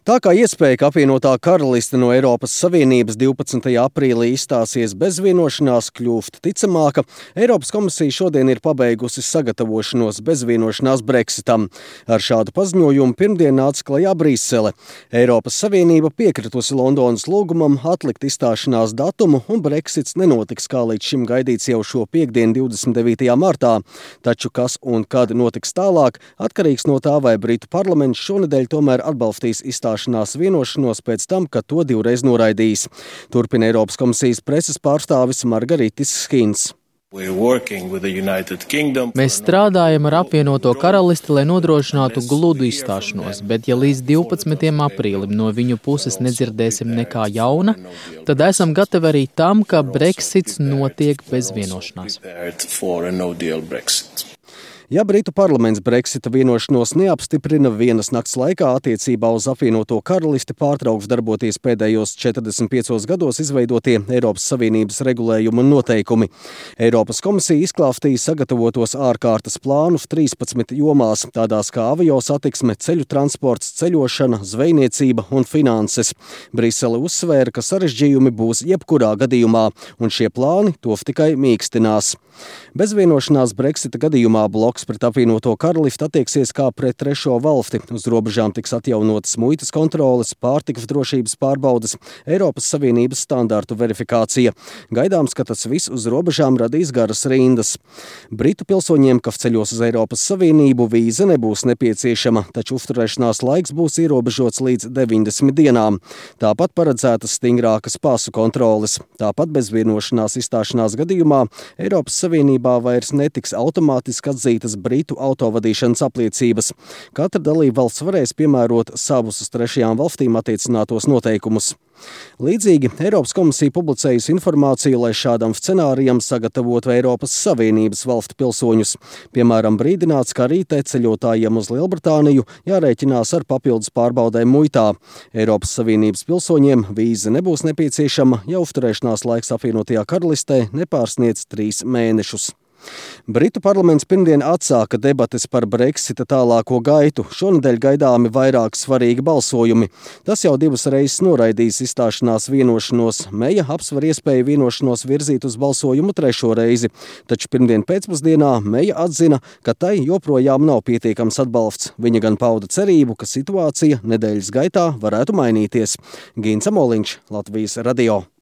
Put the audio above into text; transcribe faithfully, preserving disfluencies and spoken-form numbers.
Tā kā iespēja, ka apvienotā karaliste no Eiropas Savienības divpadsmitajā aprīlī izstāsies bez vienošanās, kļūst ticamāka, Eiropas komisija šodien ir pabeigusi sagatavošanos bez vienošanās Brexitam. Ar šādu paziņojumu pirmdien nāca klajā Brisele. Eiropas Savienība piekritusi Londonas lūgumam atlikt izstāšanās datumu, un Brexits nenotiks kā līdz šim gaidīts jau šo piektdienu divdesmit devītajā martā. Taču kas un kad notiks tālāk, atkarīgs no tā, vai Britu parlaments šonedēļ tomēr atbalstīs izstāšanās vienošanos pēc tam, kad to divreiz noraidīs. Turpina Eiropas komisijas preses pārstāvis Margaritis Skinns. Mēs strādājam ar apvienoto karalisti, lai nodrošinātu gludu izstāšanos, bet ja līdz divpadsmitajam aprīlim no viņu puses nedzirdēsim nekā jauna, tad esam gatavi arī tam, ka Brexits notiek bez vienošanās. Ja Britu parlaments Brexita vienošanos neapstiprina, vienas nakts laikā attiecībā uz apvienoto karalisti pārtrauks darboties pēdējos četrdesmit piecos gados izveidotie Eiropas Savienības regulējumi un noteikumi. Eiropas komisija izklāstīja sagatavotos ārkārtas plānus trīspadsmit jomās, tādās kā avio satiksme, ceļu transports, ceļošana, zvejniecība un finanses. Brisele uzsvēra, ka sarežģījumi būs jebkurā gadījumā, un šie plāni to tikai mīkstinās. Bez vienošanās Brexita gadījumā bloks pret apvienoto karalisti attieksies kā pret trešo valsti. Uz robežām tiks atjaunotas muitas kontroles, pārtikas drošības pārbaudes, Eiropas Savienības standārtu verifikācija. Gaidāms, ka tas viss uz robežām radīs garas rindas. Britu pilsoņiem, kas ceļos uz Eiropas Savienību, vīza nebūs nepieciešama, taču uzturēšanās laiks būs ierobežots līdz deviņdesmit dienām. Tāpat paredzētas stingrākas pasu kontroles. Tāpat bez vienošanās izstāšanās gadījumā Eiropas Savienībā vairs netiks automātiski atzītas Britu autovadīšanas apliecības. Katra dalībvalsts varēs piemērot savus uz trešajām valstīm attiecinātos noteikumus. Līdzīgi Eiropas komisija publicējusi informāciju, lai šādam scenārijam sagatavotu Eiropas Savienības valstu pilsoņus. Piemēram, brīdināts, ka rītē ceļotājiem uz Lielbritāniju jārēķinās ar papildus pārbaudēm muitā. Eiropas Savienības pilsoņiem vīza nebūs nepieciešama, ja uzturēšanās laiks apvienotajā karalistē nepārsniedz trīs mēnešus. Britu parlaments pirmdien atsāka debates par Brexita tālāko gaitu. Šonedēļ gaidāmi vairāki svarīgi balsojumi. Tas jau divas reizes noraidīs izstāšanās vienošanos. Meja apsver iespēju vienošanos virzīt uz balsojumu trešo reizi. Taču pirmdien pēcpusdienā Meja atzina, ka tai joprojām nav pietiekams atbalsts. Viņa gan pauda cerību, ka situācija nedēļas gaitā varētu mainīties. Gins Amoliņš, Latvijas radio.